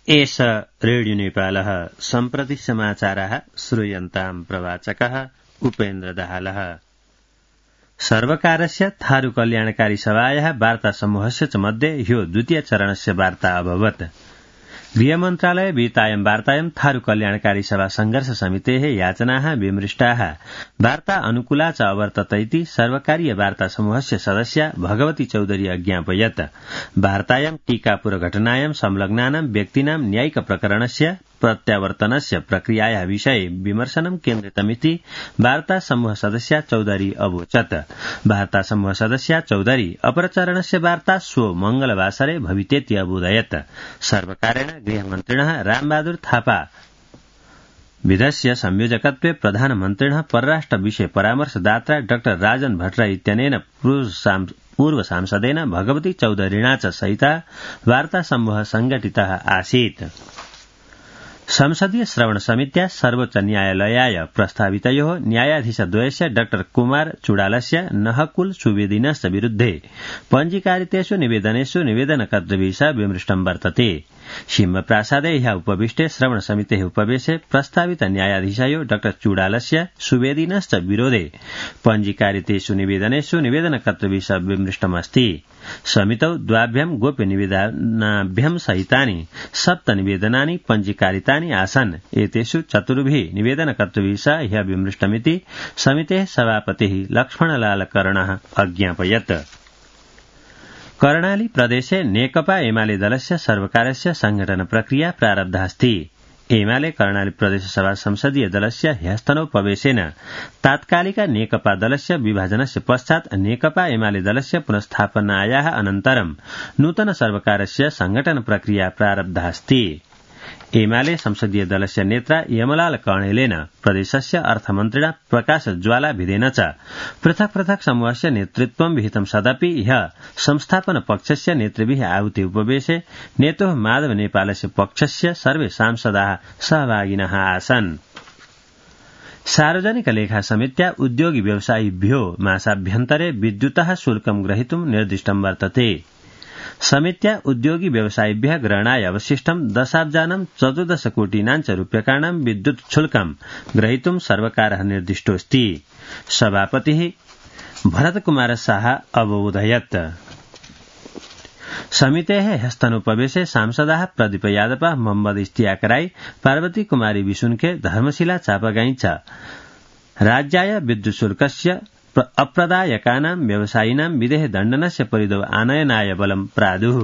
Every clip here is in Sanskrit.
एष रेडियो नेपालः सम्प्रति समाचारः श्रूयन्ताम् प्रवाचकः उपेन्द्र दाहालः। सर्वकारस्य थारू कल्याणकारी सभायाः वार्ता समूहस्य च मध्ये ह्यो द्वितीय चरणस्य वार्ता अभवत्। गृहमन्त्रालय विहितायां वार्तायां थारू कल्याणकारी सभा संघर्ष समितेः याचनाः विमृष्टाः वार्ता अनुकूला च अवर्तत इति सर्वकारीय वार्ता समूहस्य सदस्या भगवती चौधरी अज्ञापयत्। वार्तायां टीकापुरघटनायां संलग्नानां व्यक्तीनां न्यायिक प्रकरणस्य प्रत्यावर्तनस्य प्रक्रियायाः विषये विमर्शनं केन्द्रितमिति वार्ता समूह सदस्या चौधरी अवोचत्। वार्ता समूह सदस्या चौधरी अपरचरणस्य वार्ता श्वो मंगलवासरे भवितेति अबोधयत्। सर्वकारेण गृहमन्त्रिणः रामबहादुर थापा विधस्य संयोजकत्वे प्रधानमन्त्रिणः परराष्ट्र विषय परामर्शदाता डाक्टर राजन भट्टराई इत्यनेन पूर्व सांसदेन भगवती चौधरीणा च सहिता वार्ता समूह संघटितः आसीत्। संसदीय श्रवण समित्या सर्वोच्च न्यायालयाय प्रस्तावितयोः न्यायाधीशद्वयस्य डाक्टर कुमार चुडालस्य नहकुल सुवेदिनश्च विरुद्धे पञ्जीकारितेषु निवेदनेषु निवेदनकर्तृभिः सह विमृष्टं वर्तते। सिंहप्रासादे ह्यः उपविष्टे श्रवण समितेः उपवेशे प्रस्तावित न्यायाधीशयो डाक्टर चुडालस्य सुवेदिनश्च विरोधे पञ्जीकारितेषु निवेदनेषु निवेदनकर्तृभिः सह विमृष्टमस्ति। समितौ द्वाभ्यां गोप्य निवेदनाभ्यां सहितानि 7 निवेदनानि पञ्जीकारितानि आसन्। एतेषु 4 निवेदनकर्तृभिः सह ह्यः विमृष्टमिति समितेः सभापतिः लक्ष्मणलाल कर्णः अज्ञापयत्। कर्णाली प्रदेशे नेकपा एमाले दलस्य सर्वकारस्य संघटन प्रक्रिया प्रारब्धास्ति। एमाले कर्णाली प्रदेश सभा संसदीय दलस्य ह्यस्तनौ प्रवेशेन तात्कालिक नेकपा दलस्य विभाजनस्य पश्चात् नेकपा एमाले दलस्य पुनस्थापनायाः अनन्तरं नूतन सर्वकारस्य संघटन प्रक्रिया प्रारब्धास्ति। एमाले संसदीय दलस्य नेता यमलाल कणेलेन प्रदेशस्य अर्थमन्त्रिणा प्रकाश ज्वाला भिदेन च पृथक् पृथक् समूहस्य नेतृत्वं विहितं सदपि ह्यः संस्थापन पक्षस्य नेतृभिः आहुति उपवेशे नेतोः माधव नेपालस्य पक्षस्य सर्वे सांसदाः सहभागिनः आसन्। सार्वजनिक लेखा समित्या उद्योगी व्यवसायिभ्यो मासाभ्यन्तरे विद्युतः शुल्कं ग्रहीतुं निर्दिष्टं वर्तते। समित्या उद्योगी व्यवसायिभ्यः ग्रहणाय अवशिष्टं 10,14 कोटीनां च रूप्यकाणां विद्युत् शुल्कं ग्रहीतुं सर्वकारः निर्दिष्टोऽस्ति। सभापतिः भरतकुमार शाह अवोधयत्। समितेः ह्यस्तनोपवेशे सांसदाः प्रदीप यादव, मोहम्मद इश्तियाक राई, पार्वती कुमारी विशुनखे, धर्मशिला चापागाई च राज्याय विद्युत् शुल्कस्य अप्रदायकानां व्यवसायिनां विदेह दण्डनस्य परिधौ आनयनाय बलं प्रादुः।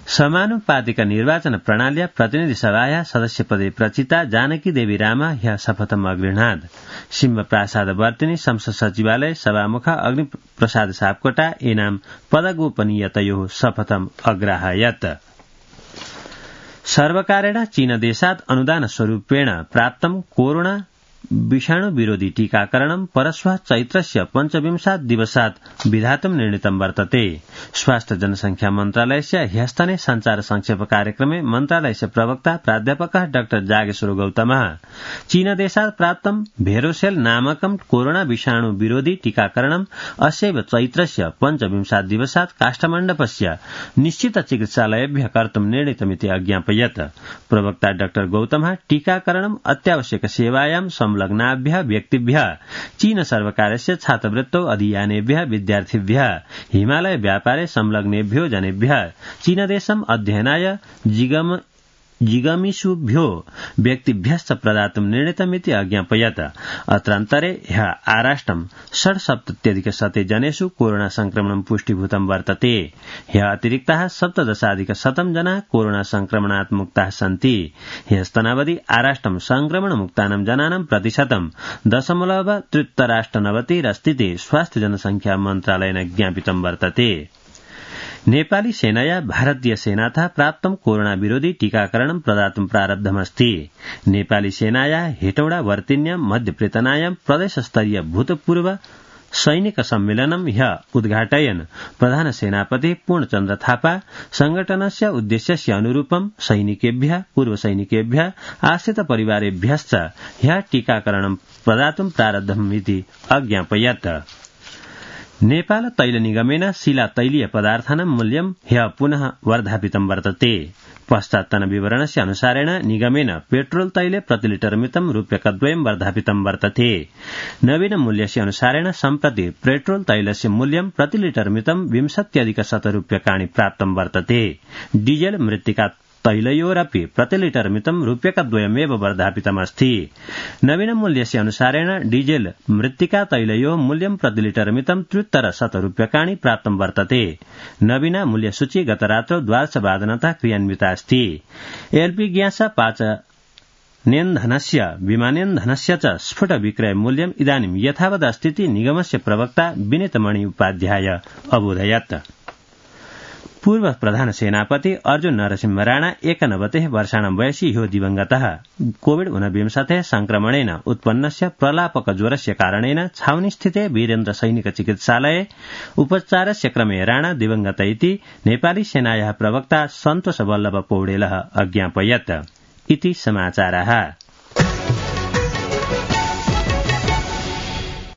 समानुपातिक निर्वाचन प्रणाल्या प्रतिनिधि सभायाः सदस्यपदे प्रचिता जानकी देवी राम ह्यः शपथम् अगृह्णात्। सिंहप्रासादवर्तिनी संसद सचिवालय सभामुख अग्निप्रसाद सापकोटा एनां पदगोपनीयतयोः शपथम् अग्राहयत्। सर्वकारेण चीनदेशात् अनुदानस्वरूपेण प्राप्तं कोरोना विषाणु विरोधी टीकाकरणं परश्वः चैत्रस्य 25 दिवसात् विधातुं निर्णीतं वर्तते। स्वास्थ्य जनसंख्या मन्त्रालयस्य ह्यस्तने संचार संक्षेप कार्यक्रमे मन्त्रालयस्य प्रवक्ता प्राध्यापकः डाक्टर जागेश्वर गौतमः चीनदेशात् प्राप्तं भेरोसेल नामकं कोरोना विषाणु विरोधी टीकाकरणं अस्यैव चैत्रस्य 25 दिवसात् काष्ठमण्डपस्य निश्चित चिकित्सालयेभ्यः कर्तुं निर्णीतमिति अज्ञापयत्। प्रवक्ता डाक्टर गौतमः टीकाकरणं अत्यावश्यक सेवायां संलग्नाभ्यः व्यक्तिभ्यः चीन सर्वकारस्य छात्रवृत्तौ अधियानेभ्यः विद्यार्थिभ्यः हिमालय व्यापारे संलग्नेभ्यो जनेभ्यः चीनदेशम् अध्ययनाय जिगमिषुभ्यो व्यक्तिभ्यश्च प्रदातुं निर्णीतमिति अज्ञापयत्। अत्रान्तरे ह्यः आराष्ट्रं 67,100 जनेषु कोरोना संक्रमणं पुष्टिभूतं वर्तते। ह्यः अतिरिक्ताः 17,100 जनाः कोरोना संक्रमणात् मुक्ताः सन्ति। ह्यस्तनावधि आराष्ट्रं संक्रमणमुक्तानां जनानां प्रतिशतं 0.93 अस्तीति स्वास्थ्य जनसंख्या मन्त्रालयेन ज्ञापितं वर्तते। नेपाली सेनया भारतीय सेनातः प्राप्तं कोरोना विरोधी टीकाकरणं प्रदातुं प्रारब्धमस्ति। नेपाली सेनाया हेटौडा वर्तिन्यां मध्यप्रेतनायां प्रदेशस्तरीय भूतपूर्व सैनिक सम्मेलनं ह्यः उद्घाटयन् प्रधान सेनापति पूर्णचन्द्र थापा संघटनस्य उद्देश्यस्य अनुरूपं सैनिकेभ्यः पूर्वसैनिकेभ्यः आश्रित परिवारेभ्यश्च ह्यः टीकाकरणं प्रदातुं प्रारब्धमिति अज्ञापयत्। नेपाल तैल निगमेन शिला तैलीय पदार्थानां मूल्यं ह्यः पुनः वर्धापितं वर्तते। पश्चात्तन विवरणस्य अनुसारेण निगमेन पेट्रोल तैले प्रतिलिटर मितं रूप्यकद्वयं वर्धापितं वर्तते। नवीन मूल्यस्य अनुसारेण सम्प्रति पेट्रोल तैलस्य मूल्यं प्रतिलिटर मितं 20 रूप्यकाणि प्राप्तं वर्तते। डीजेल मृत्तिका तैलयोरपि प्रतिलिटर मितं रूप्यकद्वयमेव वर्धापितमस्ति। नवीन मूल्यस्य अनुसारेण डीजेल मृत्तिका तैलयोः मूल्यं प्रतिलिटर मितं 73 रूप्यकाणि प्राप्तं वर्तते। नवीना मूल्यसूची गतरात्रौ 12:00 क्रियान्विता अस्ति। एलपी ग्यास पाचनेन्धनस्य विमानेन्धनस्य च स्फुट विक्रय मूल्यम् इदानीं यथावदस्तीति निगमस्य प्रवक्ता विनीतमणि उपाध्याय अबोधयत्। पूर्व प्रधान सेनापति अर्जुन नरसिंह राणा 91 वर्षाणां वयसि ह्यो दिवंगतः। कोविड-19 संक्रमणेन उत्पन्नस्य प्रलापकज्वरस्य कारणेन छाउनीस्थिते वीरेन्द्र सैनिक चिकित्सालये उपचारस्य क्रमे राणा दिवंगत इति नेपाली सेनायाः प्रवक्ता सन्तोष वल्लभ पौडेलः अज्ञापयत्। इति समाचारः।